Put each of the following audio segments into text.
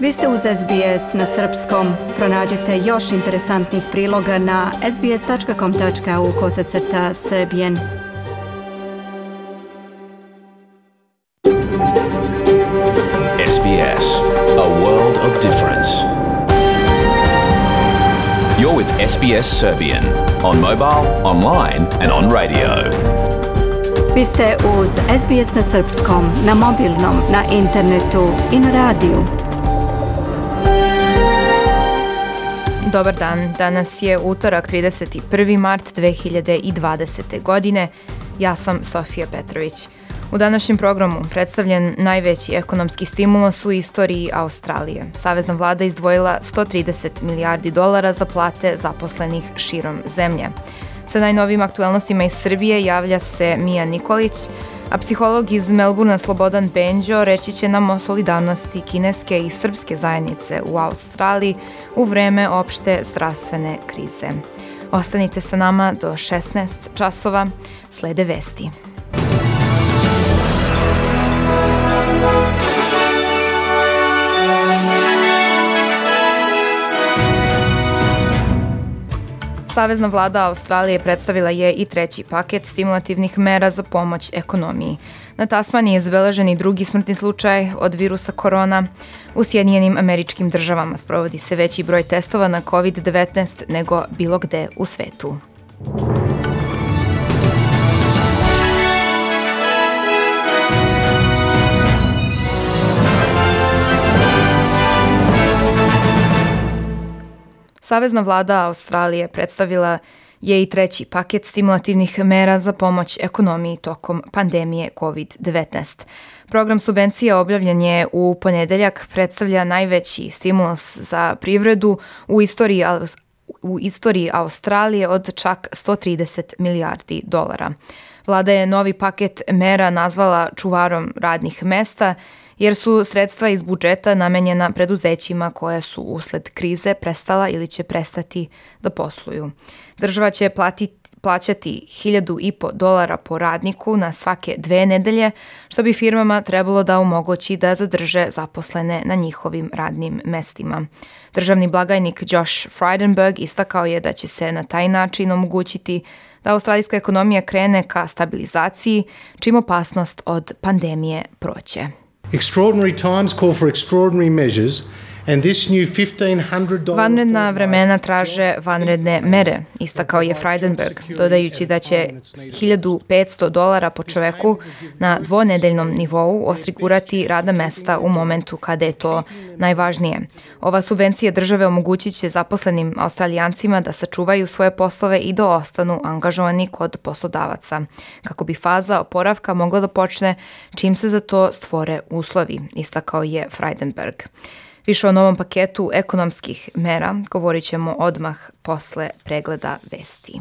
Vi ste uz SBS na srpskom. Pronađite još interesantnih priloga na sbs.com.au/srbijen. SBS, a world of difference. You're with SBS Serbian on mobile, online and on radio. Vi ste uz SBS na srpskom, na mobilnom, na internetu i na radiju. Dobar dan, danas je utorak 31. mart 2020. godine. Ja sam Sofija Petrović. U današnjem programu predstavljen najveći ekonomski stimulus u istoriji Australije. Savezna vlada izdvojila 130 milijardi dolara za plate zaposlenih širom zemlje. Sa najnovijim aktuelnostima iz Srbije javlja se Mija Nikolić, a psiholog iz Melbourna Slobodan Benđo reći će nam o solidarnosti kineske i srpske zajednice u Australiji u vreme opšte zdravstvene krize. Ostanite sa nama do 16 časova, slede vesti. Savezna vlada Australije predstavila je i treći paket stimulativnih mera za pomoć ekonomiji. Na Tasmaniji je zabeležen i drugi smrtni slučaj od virusa korona. U Sjedinjenim Američkim Državama sprovodi se veći broj testova na COVID-19 nego bilo gde u svetu. Savezna vlada Australije predstavila je i treći paket stimulativnih mera za pomoć ekonomiji tokom pandemije COVID-19. Program subvencija objavljen je u ponedeljak, predstavlja najveći stimulus za privredu u istoriji Australije od čak 130 milijardi dolara. Vlada je novi paket mera nazvala čuvarom radnih mesta, jer su sredstva iz budžeta namenjena preduzećima koja su usled krize prestala ili će prestati da posluju. Država će plaćati $1.500 po radniku na svake 2 nedelje, što bi firmama trebalo da omogući da zadrže zaposlene na njihovim radnim mestima. Državni blagajnik Josh Frydenberg istakao je da će se na taj način omogućiti da australijska ekonomija krene ka stabilizaciji, čim opasnost od pandemije prođe. Extraordinary times call for extraordinary measures, and this new $1,500 Vanredna vremena traže vanredne mere, istakao je Frydenberg, dodajući da će $1.500 po čoveku na dvonedeljnom nivou osigurati radna mesta u momentu kada je to najvažnije. Ova subvencija države omogućit će zaposlenim Australijancima da sačuvaju svoje poslove i da ostanu angažovani kod poslodavaca, kako bi faza oporavka mogla da počne čim se za to stvore uslovi, istakao je Frydenberg. Više o novom paketu ekonomskih mera govorit ćemo odmah posle pregleda vesti.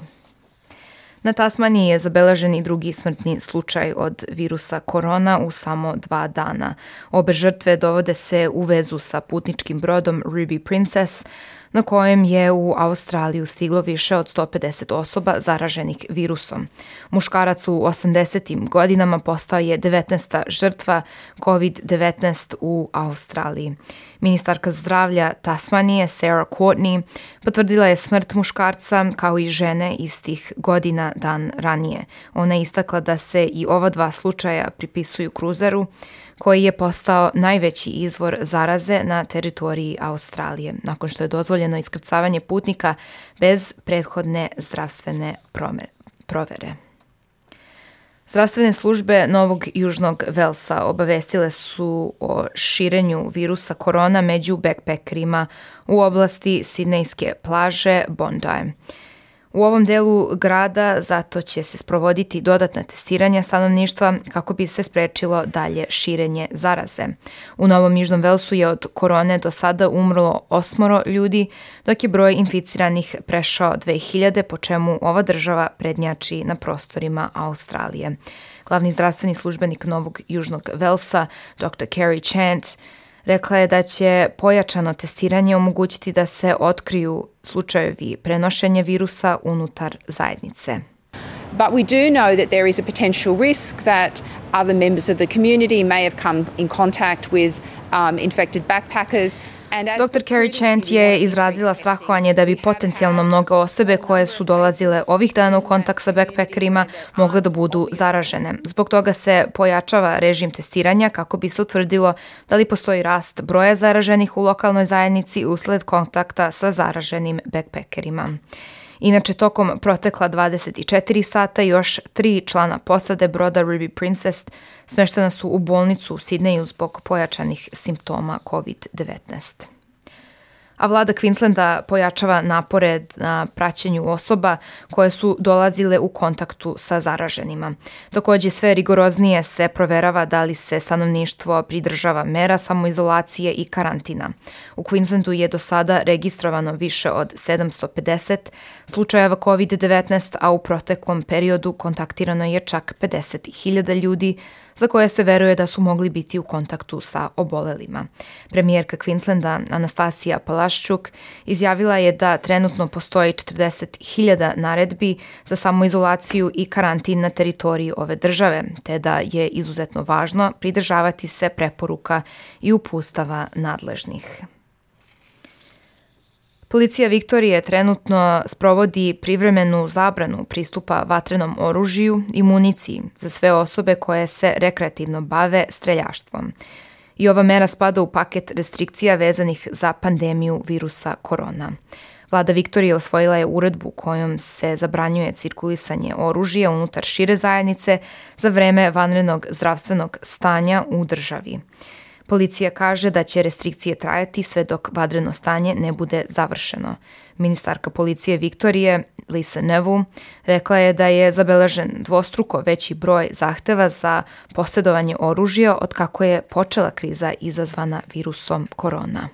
Na Tasmaniji je zabeležen i drugi smrtni slučaj od virusa korona u samo 2 dana. Obe žrtve dovode se u vezu sa putničkim brodom Ruby Princess, na kojem je u Australiju stiglo više od 150 osoba zaraženih virusom. Muškarac u 80. godinama postao je 19. žrtva COVID-19 u Australiji. Ministarka zdravlja Tasmanije Sarah Courtney potvrdila je smrt muškarca kao i žene istih godina dan ranije. Ona je istakla da se i ova 2 slučaja pripisuju kruzeru, koji je postao najveći izvor zaraze na teritoriji Australije, nakon što je dozvoljeno iskrcavanje putnika bez prethodne zdravstvene provere. Zdravstvene službe Novog Južnog Velsa obavestile su o širenju virusa korona među backpackerima u oblasti sidnejske plaže Bondi. U ovom delu grada zato će se sprovoditi dodatna testiranja stanovništva kako bi se sprečilo dalje širenje zaraze. U Novom Južnom Velsu je od korone do sada umrlo 8 ljudi, dok je broj inficiranih prešao 2000, po čemu ova država prednjači na prostorima Australije. Glavni zdravstveni službenik Novog Južnog Velsa, Dr. Carrie Chant, rekla je da će pojačano testiranje omogućiti da se otkriju slučajevi prenošenja virusa unutar zajednice. But we do know that there is a potential risk that other members of the community may have come in contact with infected backpackers. Dr. Carrie Chant je izrazila strahovanje da bi potencijalno mnoge osobe koje su dolazile ovih dana u kontakt sa backpackerima mogle da budu zaražene. Zbog toga se pojačava režim testiranja kako bi se utvrdilo da li postoji rast broja zaraženih u lokalnoj zajednici usled kontakta sa zaraženim backpackerima. Inače, tokom protekla 24 sata još 3 člana posade broda Ruby Princess smeštena su u bolnicu u Sidneju zbog pojačanih simptoma COVID-19. A vlada Queenslanda pojačava napore na praćenju osoba koje su dolazile u kontaktu sa zaraženima. Takođe, sve rigoroznije se proverava da li se stanovništvo pridržava mera samoizolacije i karantina. U Queenslandu je do sada registrovano više od 750 slučajeva COVID-19, a u proteklom periodu kontaktirano je čak 50.000 ljudi za koje se veruje da su mogli biti u kontaktu sa obolelima. Premijerka Queenslanda Anastasija Palaščuk izjavila je da trenutno postoji 40.000 naredbi za samoizolaciju i karantin na teritoriji ove države, te da je izuzetno važno pridržavati se preporuka i uputstava nadležnih. Policija Viktorije trenutno sprovodi privremenu zabranu pristupa vatrenom oružju i municiji za sve osobe koje se rekreativno bave streljaštvom. I ova mera spada u paket restrikcija vezanih za pandemiju virusa korona. Vlada Viktorije usvojila je uredbu kojom se zabranjuje cirkulisanje oružja unutar šire zajednice za vreme vanrednog zdravstvenog stanja u državi. Policija kaže da će restrikcije trajati sve dok vanredno stanje ne bude završeno. Ministarka policije Viktorije, Lisa Nevu, rekla je da je zabeležen dvostruko veći broj zahteva za posjedovanje oružja od kako je počela kriza izazvana virusom korona.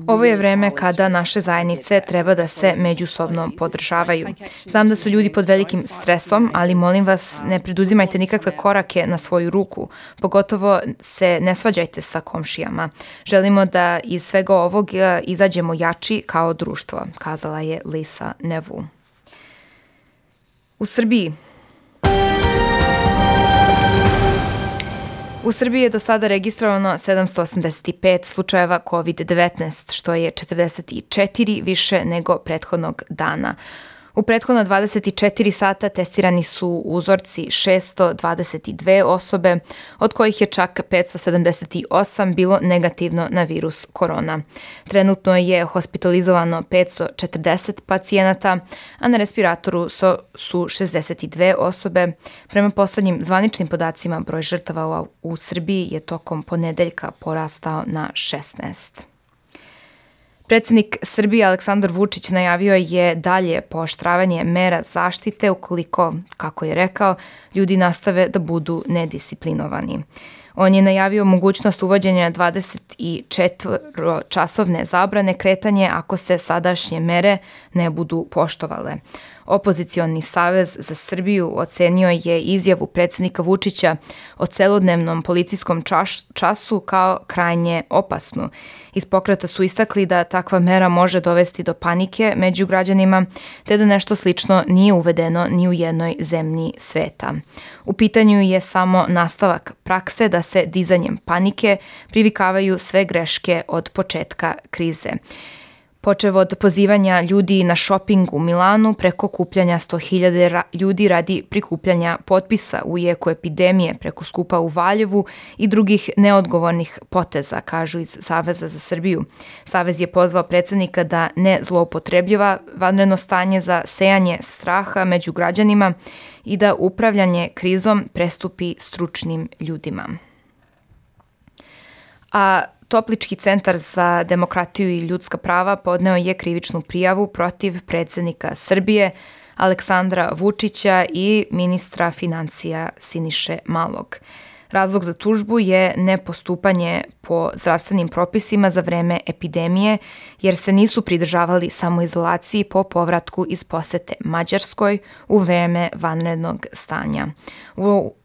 Ovo je vreme kada naše zajednice treba da se međusobno podržavaju. Znam da su ljudi pod velikim stresom, ali molim vas, ne preduzimajte nikakve korake na svoju ruku, pogotovo se ne svađajte sa komšijama. Želimo da iz svega ovog izađemo jači kao društvo, kazala je Lisa Nevu. U Srbiji je do sada registrovano 785 slučajeva COVID-19, što je 44 više nego prethodnog dana. U prethodna 24 sata testirani su uzorci 622 osobe, od kojih je čak 578 bilo negativno na virus korona. Trenutno je hospitalizovano 540 pacijenata, a na respiratoru su 62 osobe. Prema poslednjim zvaničnim podacima, broj žrtava u Srbiji je tokom ponedeljka porastao na 16. Predsednik Srbije Aleksandar Vučić najavio je dalje pooštravanje mera zaštite ukoliko, kako je rekao, ljudi nastave da budu nedisciplinovani. On je najavio mogućnost uvođenja 24-časovne zabrane kretanje ako se sadašnje mere ne budu poštovale. Opozicioni savez za Srbiju ocenio je izjavu predsednika Vučića o celodnevnom policijskom času kao krajnje opasnu. Iz pokreta su istakli da takva mera može dovesti do panike među građanima, te da nešto slično nije uvedeno ni u jednoj zemlji sveta. U pitanju je samo nastavak prakse da se dizanjem panike privikavaju sve greške od početka krize. Počev od pozivanja ljudi na šoping u Milanu preko kupljanja 100.000 ljudi radi prikupljanja potpisa u jeku epidemije preko skupa u Valjevu i drugih neodgovornih poteza, kažu iz Saveza za Srbiju. Savez je pozvao predsednika da ne zloupotrebljava vanredno stanje za sejanje straha među građanima i da upravljanje krizom prestupi stručnim ljudima. A Toplički centar za demokratiju i ljudska prava podneo je krivičnu prijavu protiv predsednika Srbije Aleksandra Vučića i ministra financija Siniše Malog. Razlog za tužbu je nepostupanje po zdravstvenim propisima za vreme epidemije, jer se nisu pridržavali samoizolaciji po povratku iz posete Mađarskoj u vreme vanrednog stanja.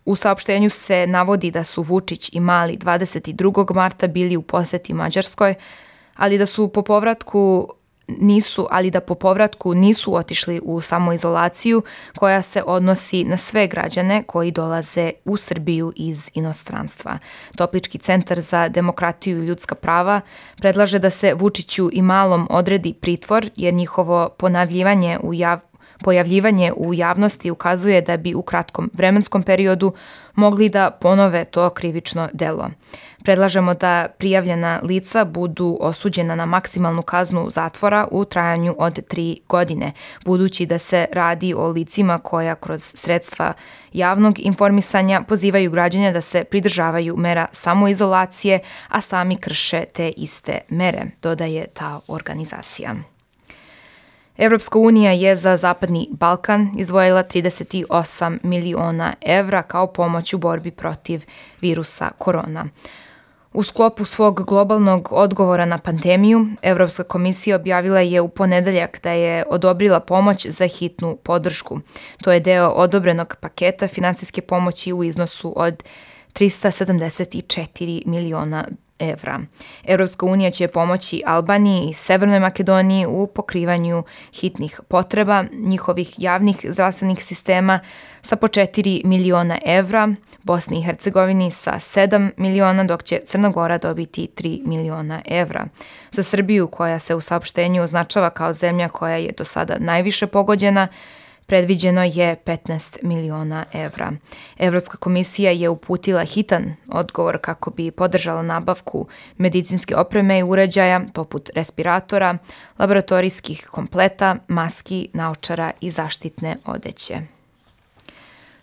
U saopštenju se navodi da su Vučić i Mali 22. marta bili u poseti Mađarskoj, ali da su po povratku ali da po povratku nisu otišli u samoizolaciju koja se odnosi na sve građane koji dolaze u Srbiju iz inostranstva. Toplički centar za demokratiju i ljudska prava predlaže da se Vučiću i Malom odredi pritvor jer njihovo pojavljivanje u javnosti ukazuje da bi u kratkom vremenskom periodu mogli da ponove to krivično delo. Predlažemo da prijavljena lica budu osuđena na maksimalnu kaznu zatvora u trajanju od 3 godine, budući da se radi o licima koja kroz sredstva javnog informisanja pozivaju građane da se pridržavaju mera samoizolacije, a sami krše te iste mere, dodaje ta organizacija. Evropska unija je za Zapadni Balkan izdvojila 38 miliona evra kao pomoć u borbi protiv virusa korona. U sklopu svog globalnog odgovora na pandemiju, Evropska komisija objavila je u ponedeljak da je odobrila pomoć za hitnu podršku. To je deo odobrenog paketa finansijske pomoći u iznosu od 374 miliona evra. Evropska unija će pomoći Albaniji i Severnoj Makedoniji u pokrivanju hitnih potreba njihovih javnih zdravstvenih sistema sa po 4 miliona evra, Bosni i Hercegovini sa 7 miliona, dok će Crna Gora dobiti 3 miliona evra. Za Srbiju, koja se u saopštenju označava kao zemlja koja je do sada najviše pogođena, predviđeno je 15 miliona evra. Evropska komisija je uputila hitan odgovor kako bi podržala nabavku medicinske opreme i uređaja poput respiratora, laboratorijskih kompleta, maski, naočara i zaštitne odeće.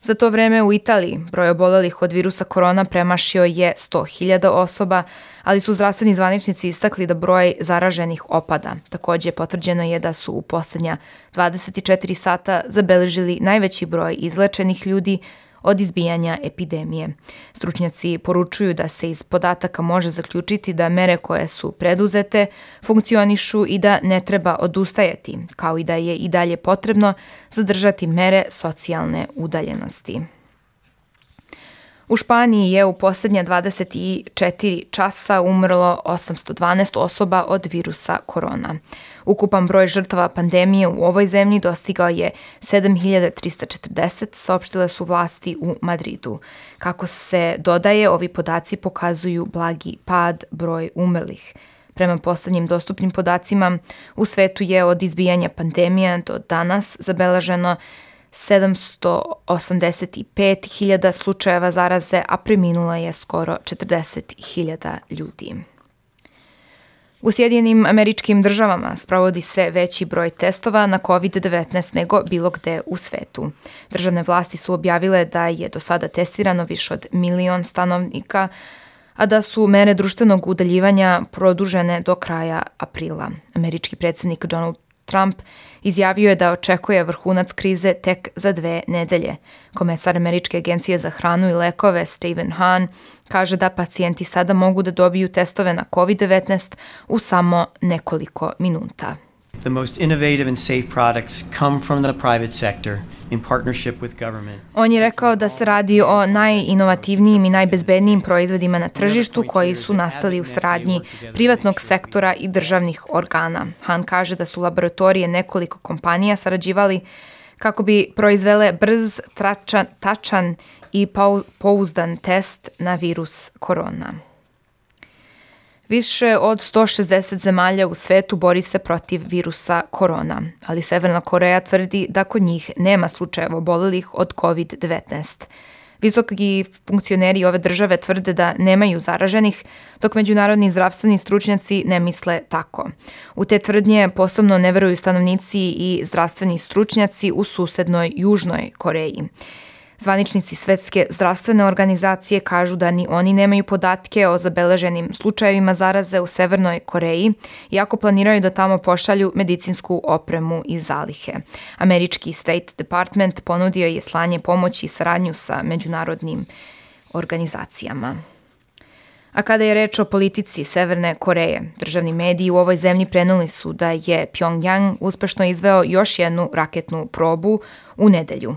Za to vreme u Italiji broj obolelih od virusa korona premašio je 100.000 osoba, ali su zdravstveni zvaničnici istakli da broj zaraženih opada. Takođe, potvrđeno je da su u poslednja 24 sata zabeležili najveći broj izlečenih ljudi od izbijanja epidemije. Stručnjaci poručuju da se iz podataka može zaključiti da mere koje su preduzete funkcionišu i da ne treba odustajati, kao i da je i dalje potrebno zadržati mere socijalne udaljenosti. U Španiji je u posljednja 24 časa umrlo 812 osoba od virusa korona. Ukupan broj žrtava pandemije u ovoj zemlji dostigao je 7.340, saopštile su vlasti u Madridu. Kako se dodaje, ovi podaci pokazuju blagi pad broj umrlih. Prema poslednjim dostupnim podacima, u svetu je od izbijanja pandemije do danas zabeleženo 785.000 slučajeva zaraze, a preminulo je skoro 40.000 ljudi. U Sjedinjenim Američkim Državama sprovodi se veći broj testova na COVID-19 nego bilo gde u svetu. Državne vlasti su objavile da je do sada testirano više od 1 milion stanovnika, a da su mere društvenog udaljivanja produžene do kraja aprila. Američki predsjednik Donald Trump izjavio je da očekuje vrhunac krize tek za 2 nedelje. Komesar Američke agencije za hranu i lekove Stephen Hahn kaže da pacijenti sada mogu da dobiju testove na COVID-19 u samo nekoliko minuta. The most innovative and safe products come from the private sector in partnership with government. On je rekao da se radi o najinovativnijim i najbezbednijim proizvodima na tržištu koji su nastali u saradnji privatnog sektora i državnih organa. Han kaže da su laboratorije nekoliko kompanija sarađivali kako bi proizvele brz, tačan i pouzdan test na virus korona. Više od 160 zemalja u svetu bori se protiv virusa korona, ali Severna Koreja tvrdi da kod njih nema slučajeva obolelih od COVID-19. Visoki funkcioneri ove države tvrde da nemaju zaraženih, dok međunarodni zdravstveni stručnjaci ne misle tako. U te tvrdnje posebno ne veruju stanovnici i zdravstveni stručnjaci u susednoj Južnoj Koreji. Zvaničnici Svetske zdravstvene organizacije kažu da ni oni nemaju podatke o zabeleženim slučajevima zaraze u Severnoj Koreji, iako planiraju da tamo pošalju medicinsku opremu i zalihe. Američki State Department ponudio je slanje pomoći i saradnju sa međunarodnim organizacijama. A kada je reč o politici Severne Koreje, državni mediji u ovoj zemlji preneli su da je Pjongjang uspešno izveo još jednu raketnu probu u nedelju.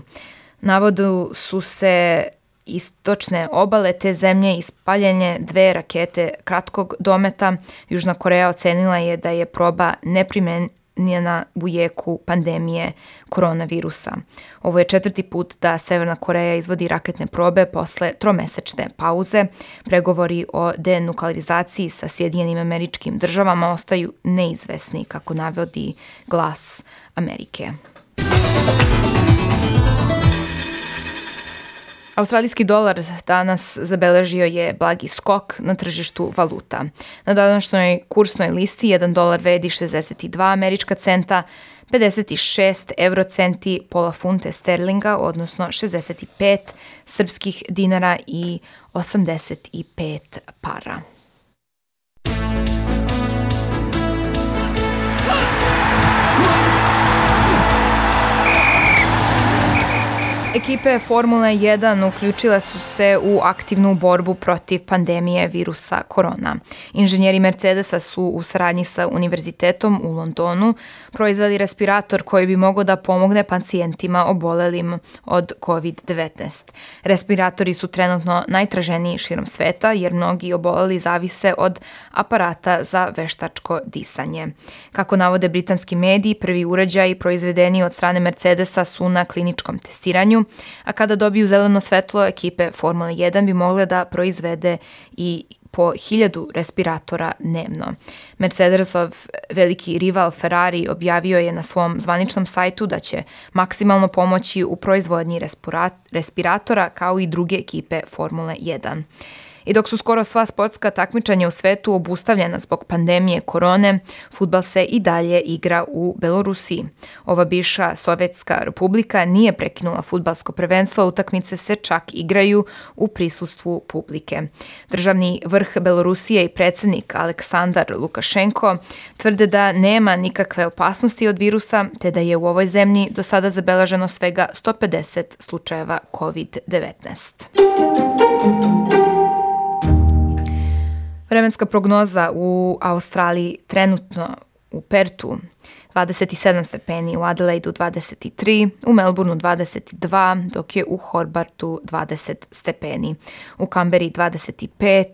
Navodu su se istočne obale te zemlje ispaljenje 2 rakete kratkog dometa. Južna Koreja ocenila je da je proba neprimenjena u jeku pandemije koronavirusa. Ovo je 4. put da Severna Koreja izvodi raketne probe posle 3-mesečne pauze. Pregovori o denuklearizaciji sa Sjedinjenim Američkim Državama ostaju neizvesni, kako navodi Glas Amerike. Australijski dolar danas zabeležio je blagi skok na tržištu valuta. Na današnjoj kursnoj listi 1 dolar vredi 62 američka centa, 56 eurocenti, pola funte sterlinga, odnosno 65 srpskih dinara i 85 para. Ekipe Formule 1 uključile su se u aktivnu borbu protiv pandemije virusa korona. Inženjeri Mercedesa su u saradnji sa Univerzitetom u Londonu proizveli respirator koji bi mogao da pomogne pacijentima obolelim od COVID-19. Respiratori su trenutno najtraženiji širom sveta jer mnogi oboleli zavise od aparata za veštačko disanje. Kako navode britanski mediji, prvi uređaji proizvedeni od strane Mercedesa su na kliničkom testiranju, a kada dobiju zeleno svetlo, ekipe Formule 1 bi mogle da proizvede i po 1000 respiratora dnevno. Mercedesov veliki rival Ferrari objavio je na svom zvaničnom sajtu da će maksimalno pomoći u proizvodnji respiratora kao i druge ekipe Formule 1. I dok su skoro sva sportska takmičenja u svetu obustavljena zbog pandemije korone, fudbal se i dalje igra u Belorusiji. Ova bivša Sovjetska republika nije prekinula fudbalsko prvenstvo, utakmice se čak igraju u prisustvu publike. Državni vrh Belorusije i predsjednik Aleksandar Lukašenko tvrde da nema nikakve opasnosti od virusa, te da je u ovoj zemlji do sada zabeleženo svega 150 slučajeva COVID-19. Vremenska prognoza u Australiji trenutno u Pertu 27 stepeni, u Adelaidu 23, u Melbourneu 22, dok je u Hobartu 20 stepeni, u Kamberi 25,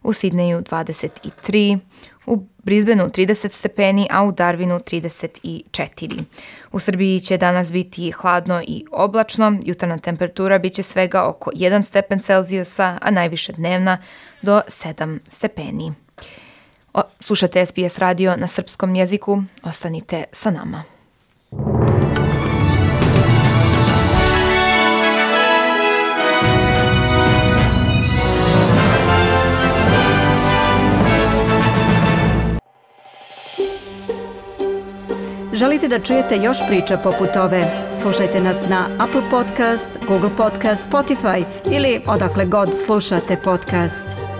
u Sidneju 23, u Brisbaneu 30 stepeni, a u Darwinu 34. U Srbiji će danas biti hladno i oblačno, jutarnja temperatura biće svega oko 1 stepen Celzijusa, a najviše dnevna do 7 stepeni. Slušate SBS radio na srpskom jeziku, ostanite sa nama. Želite da čujete još priča poput ove? Slušajte nas na Apple Podcast, Google Podcast, Spotify ili odakle god slušate podcast.